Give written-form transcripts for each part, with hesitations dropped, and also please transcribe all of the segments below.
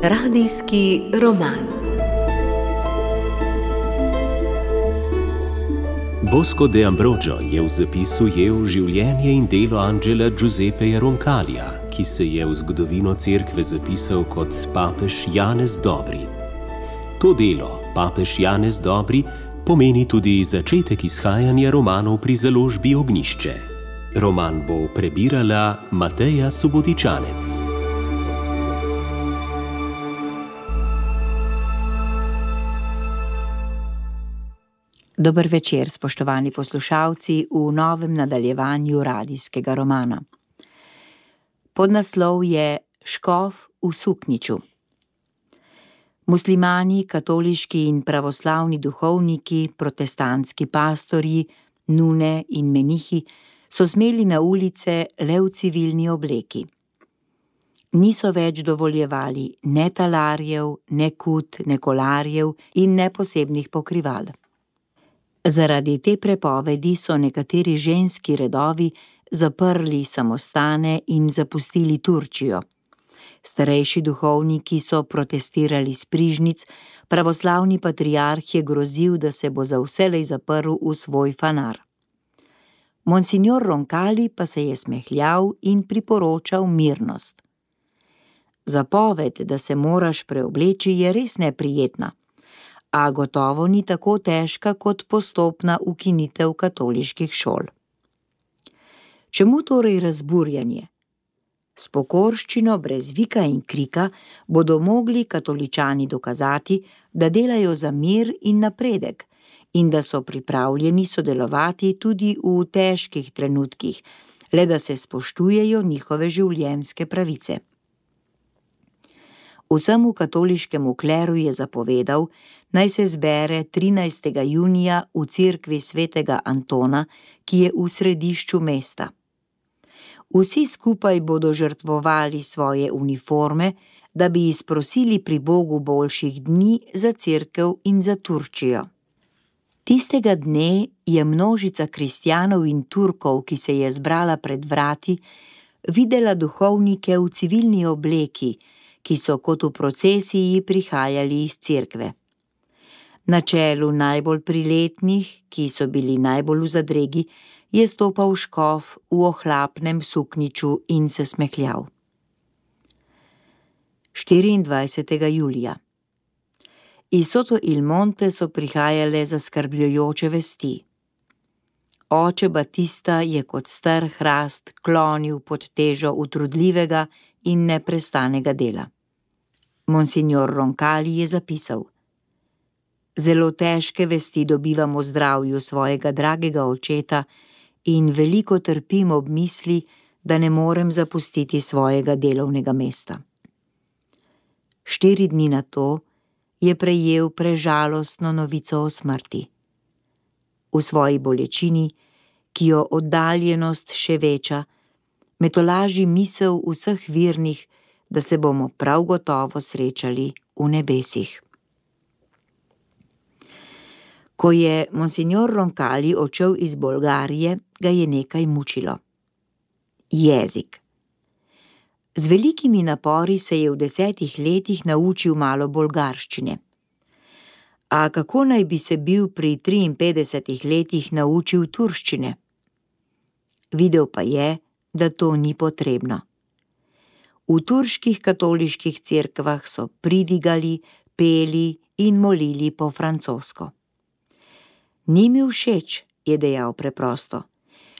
Radijski roman. Bosco de Ambrogio je v zapisu ujel življenje in delo Angela Giuseppeja Roncalija, ki se je v zgodovino cerkve zapisal kot papež Janez Dobri. To delo, papež Janez Dobri, pomeni tudi začetek izhajanja romanov pri založbi Ognjišče. Roman bo prebirala Mateja Subotičanec. Dober večer, spoštovani poslušalci, v novem nadaljevanju radijskega romana. Podnaslov je Škof v suknjiču. Muslimani, katoliški in pravoslavni duhovniki, protestantski pastorji, nune in menihi so smeli na ulice le v civilni obleki. Niso več dovoljevali ne talarjev, ne kut, ne kolarjev in ne posebnih pokrival. Zaradi te prepovedi so nekateri ženski redovi zaprli samostane in zapustili Turčijo. Starejši duhovniki so protestirali s prižnic, pravoslavni patriarh je grozil, da se bo za vselej zaprl v svoj fanar. Monsignor Roncali pa se je smehljal in priporočal mirnost. Zapoved, da se moraš preobleči, je res neprijetna, a gotovo ni tako težka kot postopna ukinitev katoliških šol. Čemu torej razburjanje? S pokorščino brez vika in krika bodo mogli katoličani dokazati, da delajo za mir in napredek in da so pripravljeni sodelovati tudi v težkih trenutkih, le da se spoštujejo njihove življenjske pravice. Vsemu katoliškemu kleru je zapovedal, naj se zbere 13. junija v cerkvi svetega Antona, ki je v središču mesta. Vsi skupaj bodo žrtvovali svoje uniforme, da bi izprosili pri Bogu boljših dni za cerkev in za Turčijo. Tistega dne je množica kristjanov in Turkov, ki se je zbrala pred vrati, videla duhovnike v civilni obleki, ki so kot v procesiji prihajali iz cerkve. Na čelu najbolj priletnih, ki so bili najbolj v zadregi, je stopal škof v ohlapnem suknjiču in se smehljal. 24. julija. Iz Soto il Monte so prihajale zaskrbljujoče vesti. Oče Batista je kot star hrast klonil pod težo utrudljivega in neprestanega dela. Monsignor Roncali je zapisal: Zelo težke vesti dobivam o zdravju svojega dragega očeta in veliko trpim ob misli, da ne morem zapustiti svojega delovnega mesta. 4 dni nato je prejel prežalostno novico o smrti. V svoji bolečini, ki jo oddaljenost še veča, me tolaži misel vseh virnih, da se bomo prav gotovo srečali v nebesih. Ko je monsignor Roncali odšel iz Bolgarije, ga je nekaj mučilo. Jezik. Z velikimi napori se je v 10 letih naučil malo bolgarščine. A kako naj bi se bil pri 53 letih naučil turščine? Videl pa je, da to ni potrebno. V turških katoliških cerkvah so pridigali, peli in molili po francosko. Ni mi všeč, je dejal preprosto.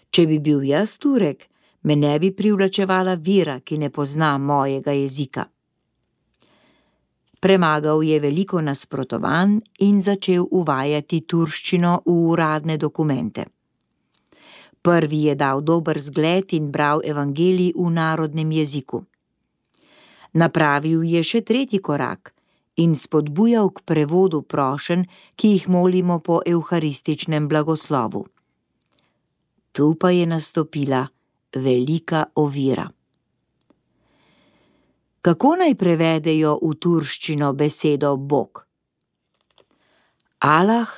Če bi bil jaz Turek, me ne bi privlačevala vira, ki ne pozna mojega jezika. Premagal je veliko nasprotovanj in začel uvajati turščino v uradne dokumente. Prvi je dal dober zgled in bral evangelij v narodnem jeziku. Napravil je še 3. korak in spodbujal k prevodu prošenj, ki jih molimo po evharističnem blagoslovu. Tu pa je nastopila velika ovira. Kako naj prevedejo v turščino besedo Bog? Allah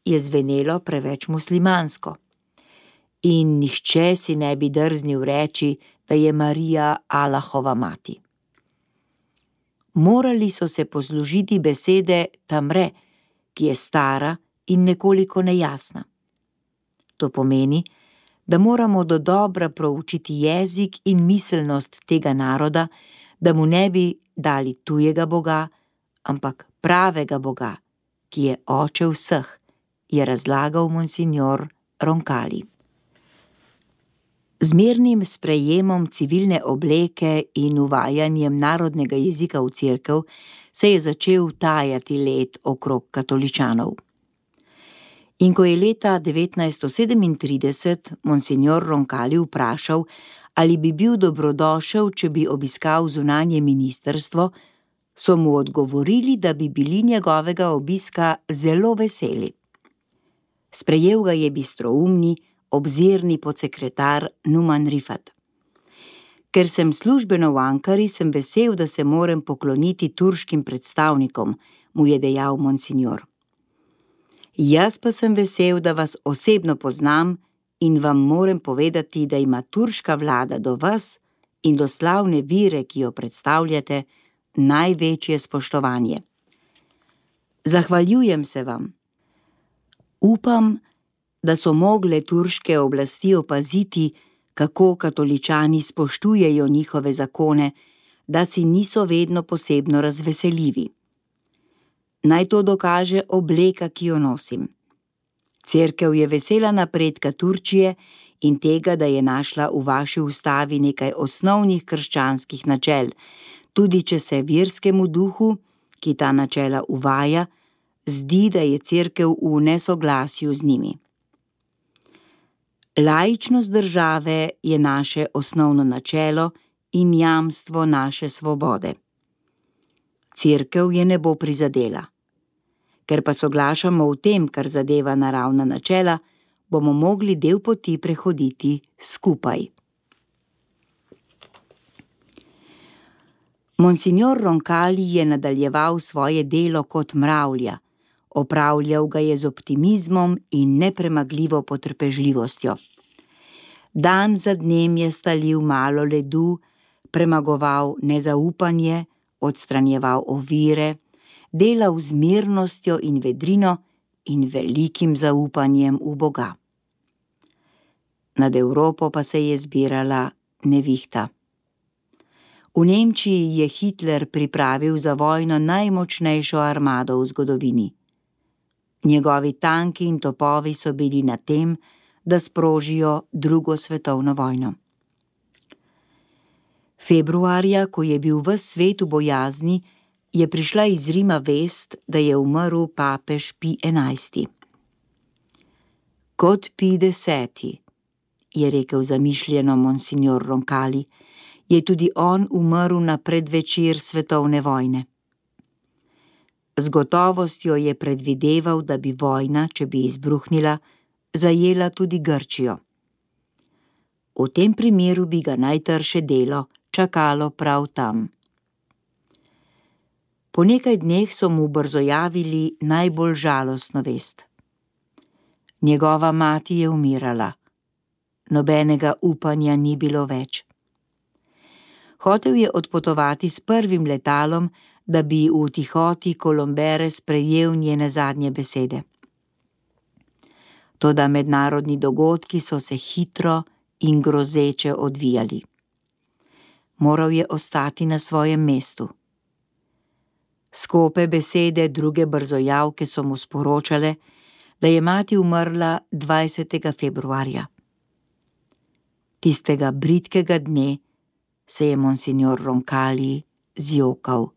je zvenelo preveč muslimansko. in nihče si ne bi drznil reči, da je Marija Allahova mati. Morali so se poslužiti besede Tamre, ki je stara in nekoliko nejasna. To pomeni, da moramo dodobra proučiti jezik in miselnost tega naroda, da mu ne bi dali tujega boga, ampak pravega boga, ki je oče vseh, je razlagal monsignor Roncalli. Z mirnim sprejemom civilne obleke in uvajanjem narodnega jezika v cerkev se je začel tajati led okrog katoličanov. In ko je leta 1937 monsignor Roncalli vprašal, ali bi bil dobrodošel, če bi obiskal zunanje ministrstvo, so mu odgovorili, da bi bili njegovega obiska zelo veseli. Sprejel ga je bistroumni, obzirni podsekretar Numan Rifat. Ker sem službeno v Ankari, sem vesel, da se moram pokloniti turškim predstavnikom, mu je dejal monsignor. Jaz pa sem vesel, da vas osebno poznam in vam moram povedati, da ima turška vlada do vas in do slavne vire, ki jo predstavljate, največje spoštovanje. Zahvaljujem se vam. Upam, da so mogle turške oblasti opaziti, kako katoličani spoštujejo njihove zakone, da si niso vedno posebno razveseljivi. Naj to dokaže obleka, ki jo nosim. Cerkev je vesela napredka Turčije in tega, da je našla v vaši ustavi nekaj osnovnih krščanskih načel, tudi če se verskemu duhu, ki ta načela uvaja, zdi, da je cerkev v nesoglasju z njimi. Laičnost države je naše osnovno načelo in jamstvo naše svobode. Cerkev je ne bo prizadela. Ker pa soglašamo v tem, kar zadeva naravna načela, bomo mogli del poti prehoditi skupaj. Monsignor Roncalli je nadaljeval svoje delo kot mravlja, opravljal ga je z optimizmom in nepremagljivo potrpežljivostjo. Dan za dnem je stalil malo ledu, premagoval nezaupanje, odstranjeval ovire, delal z mirnostjo in vedrino in velikim zaupanjem v Boga. Nad Evropo pa se je zbirala nevihta. V Nemčiji je Hitler pripravil za vojno najmočnejšo armado v zgodovini. Njegovi tanki in topovi so bili na tem, da sprožijo drugo svetovno vojno. Februarja, ko je bil ves svet v bojazni, je prišla iz Rima vest, da je umrl papež Pij XI. Kot Pij X, je rekel zamišljeno monsignor Roncalli, je tudi on umrl na predvečer svetovne vojne. Z gotovostjo je predvideval, da bi vojna, če bi izbruhnila, zajela tudi Grčijo. V tem primeru bi ga najtrše delo čakalo prav tam. Po nekaj dneh so mu brzojavili najbolj žalostno vest. Njegova mati je umirala. Nobenega upanja ni bilo več. Hotel je odpotovati s prvim letalom, da bi v tihoti Kolombere sprejel njene zadnje besede. Toda mednarodni dogodki so se hitro in grozeče odvijali. Moral je ostati na svojem mestu. Skope besede druge brzojavke so mu sporočale, da je mati umrla 20. februarja. Tistega bridkega dne se je monsignor Roncalli zjokal.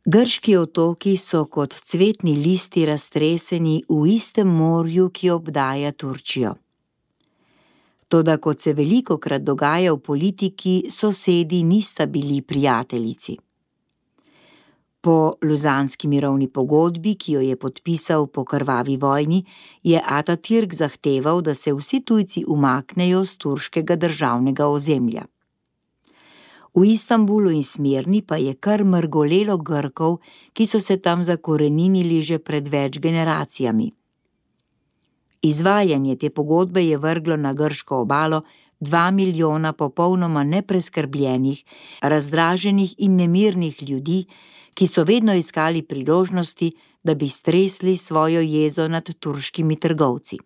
Grški otoki so kot cvetni listi raztreseni v istem morju, ki obdaja Turčijo. Toda kot se velikokrat dogaja v politiki, sosedi nista bili prijateljici. Po Luzanski mirovni pogodbi, ki jo je podpisal po krvavi vojni, je Atatürk zahteval, da se vsi tujci umaknejo z turškega državnega ozemlja. V Istanbulu in Smirni pa je kar mrgolelo Grkov, ki so se tam zakoreninili že pred več generacijami. Izvajanje te pogodbe je vrglo na grško obalo 2 milijona popolnoma nepreskrbljenih, razdraženih in nemirnih ljudi, ki so vedno iskali priložnosti, da bi stresli svojo jezo nad turškimi trgovci.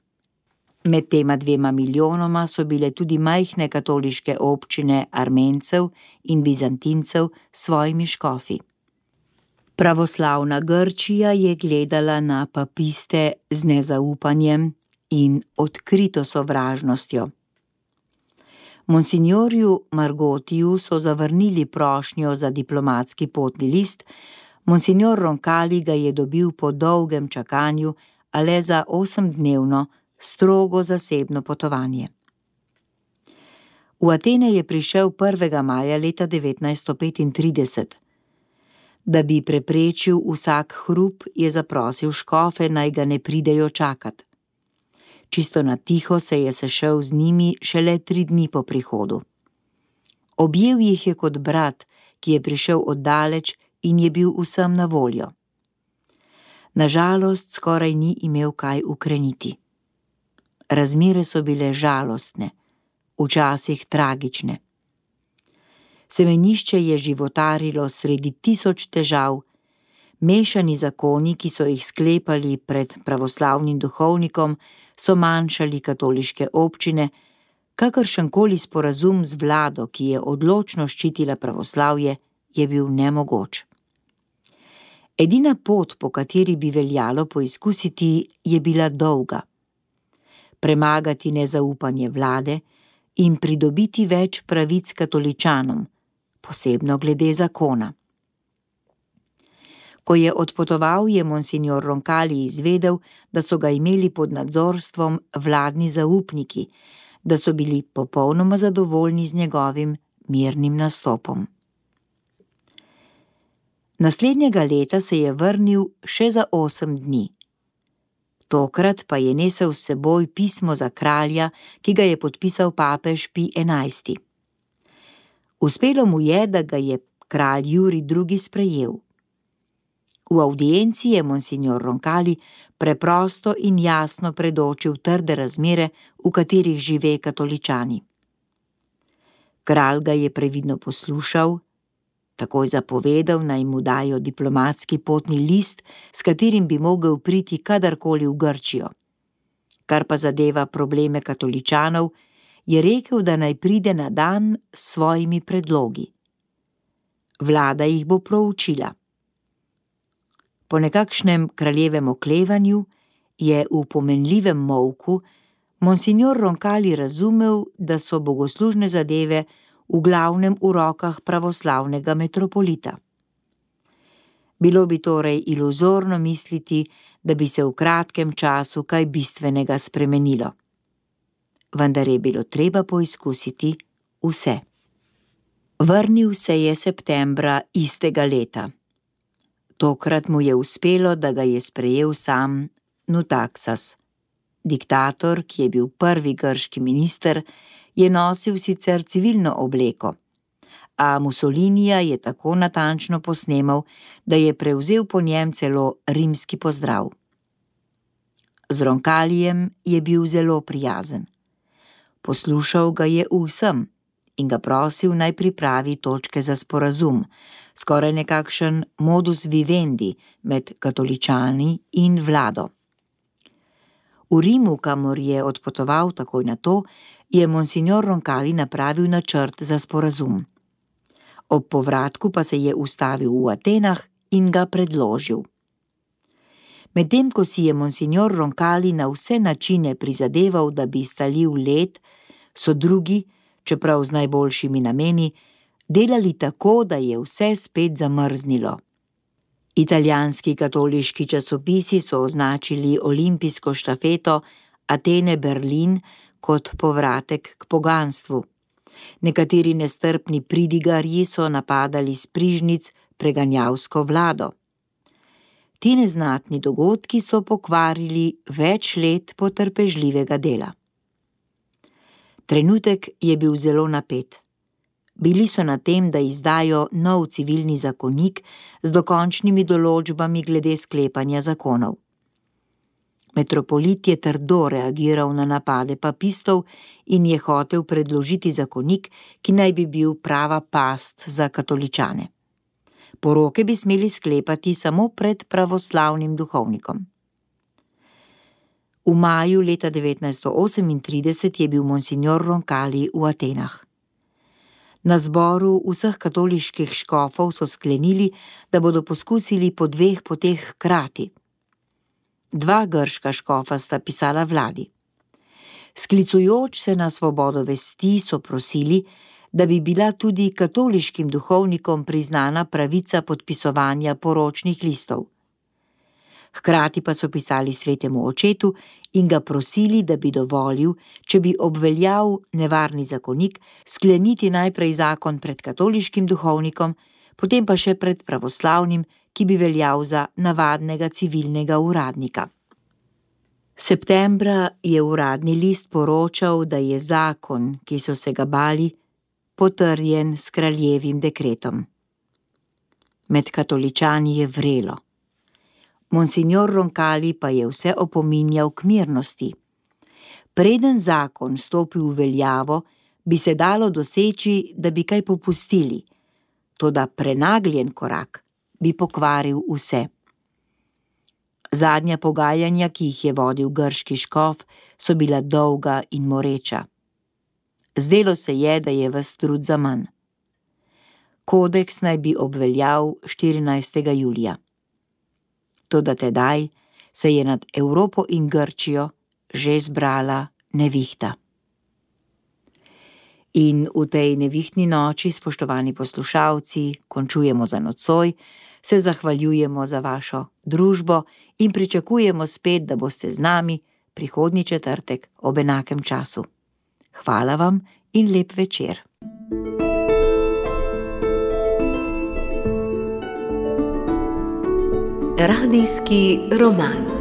Med tema 2 milijonoma so bile tudi majhne katoliške občine Armencev in Bizantincev s svojimi škofi. Pravoslavna Grčija je gledala na papiste z nezaupanjem in odkrito sovražnostjo. Monsignorju Margotiju so zavrnili prošnjo za diplomatski potni list, monsignor Roncalli ga je dobil po dolgem čakanju, a le za 8-dnevno, strogo zasebno potovanje. V Atene je prišel 1. maja leta 1935. Da bi preprečil vsak hrup, je zaprosil škofe, naj ga ne pridejo čakat. Čisto na tiho se je sešel z njimi šele 3 dni po prihodu. Objel jih je kot brat, ki je prišel oddaleč in je bil vsem na voljo. Nažalost, skoraj ni imel kaj ukreniti. Razmere so bile žalostne, včasih tragične. Semenišče je životarilo sredi 1000 težav, mešani zakoni, ki so jih sklepali pred pravoslavnim duhovnikom, so manjšali katoliške občine, kakršenkoli sporazum z vlado, ki je odločno ščitila pravoslavje, je bil nemogoč. Edina pot, po kateri bi veljalo poizkusiti, je bila dolga. Premagati nezaupanje vlade in pridobiti več pravic katoličanom, posebno glede zakona. Ko je odpotoval, je monsignor Roncalli izvedel, da so ga imeli pod nadzorstvom vladni zaupniki, da so bili popolnoma zadovoljni z njegovim mirnim nastopom. Naslednjega leta se je vrnil še za 8 dni. Tokrat pa je nesel s seboj pismo za kralja, ki ga je podpisal papež Pij XI. Uspelo mu je, da ga je kralj Jurij II. Sprejel. V avdienci je monsignor Roncalli preprosto in jasno predočil trde razmere, v katerih žive katoličani. Kralj ga je previdno poslušal, takoj zapovedal, naj mu dajo diplomatski potni list, s katerim bi mogel priti kadarkoli v Grčijo. Kar pa zadeva probleme katoličanov, je rekel, da naj pride na dan s svojimi predlogi. Vlada jih bo proučila. Po nekakšnem kraljevem oklevanju je v pomenljivem molku monsignor Roncalli razumel, da so bogoslužne zadeve v glavnem v rokah pravoslavnega metropolita. Bilo bi torej iluzorno misliti, da bi se v kratkem času kaj bistvenega spremenilo. Vendar je bilo treba poizkusiti vse. Vrnil se je septembra istega leta. Tokrat mu je uspelo, da ga je sprejel sam Nutaksas. Diktator, ki je bil prvi grški minister, je nosil sicer civilno obleko, a Mussolinija je tako natančno posnemal, da je prevzel po njem celo rimski pozdrav. Z Roncallijem je bil zelo prijazen. Poslušal ga je vsem in ga prosil, naj pripravi točke za sporazum, skoraj nekakšen modus vivendi med katoličani in vlado. V Rimu, kamor je odpotoval takoj na to, je monsignor Roncalli napravil načrt za sporazum. Ob povratku pa se je ustavil v Atenah in ga predložil. Medtem ko si je monsignor Roncalli na vse načine prizadeval, da bi stalil led, so drugi, čeprav z najboljšimi nameni, delali tako, da je vse spet zamrznilo. Italijanski katoliški časopisi so označili olimpijsko štafeto Atene-Berlin kot povratek k poganstvu. Nekateri nestrpni pridigarji so napadali s prižnic preganjavsko vlado. Ti neznatni dogodki so pokvarili več let potrpežljivega dela. Trenutek je bil zelo napet. Bili so na tem, da izdajo nov civilni zakonik z dokončnimi določbami glede sklepanja zakonov. Metropolit je trdo reagiral na napade papistov in je hotel predložiti zakonik, ki naj bi bil prava past za katoličane. Poroke bi smeli sklepati samo pred pravoslavnim duhovnikom. V maju leta 1938 je bil monsignor Roncalli v Atenah. Na zboru vseh katoliških škofov so sklenili, da bodo poskusili po 2 poteh hkrati. 2 grška škofa sta pisala vladi. Sklicujoč se na svobodo vesti so prosili, da bi bila tudi katoliškim duhovnikom priznana pravica podpisovanja poročnih listov. Hkrati pa so pisali svetemu očetu in ga prosili, da bi dovolil, če bi obveljal nevarni zakonik, skleniti najprej zakon pred katoliškim duhovnikom, potem pa še pred pravoslavnim, ki bi veljal za navadnega civilnega uradnika. Septembra je uradni list poročal, da je zakon, ki so se ga bali, potrjen s kraljevim dekretom. Med katoličani je vrelo. Monsignor Roncalli pa je vse opominjal k mirnosti. Preden zakon stopi v veljavo, bi se dalo doseči, da bi kaj popustili, toda prenagljen korak bi pokvaril vse. Zadnja pogajanja, ki jih je vodil grški škof, so bila dolga in moreča. Zdelo se je, da je ves trud zaman. Kodeks naj bi obveljal 14. julija. Toda tedaj se je nad Evropo in Grčijo že zbrala nevihta. In v tej nevihtni noči, spoštovani poslušalci, končujemo za nocoj, se zahvaljujemo za vašo družbo in pričakujemo spet, da boste z nami prihodnji četrtek ob enakem času. Hvala vam in lep večer. Radijski roman.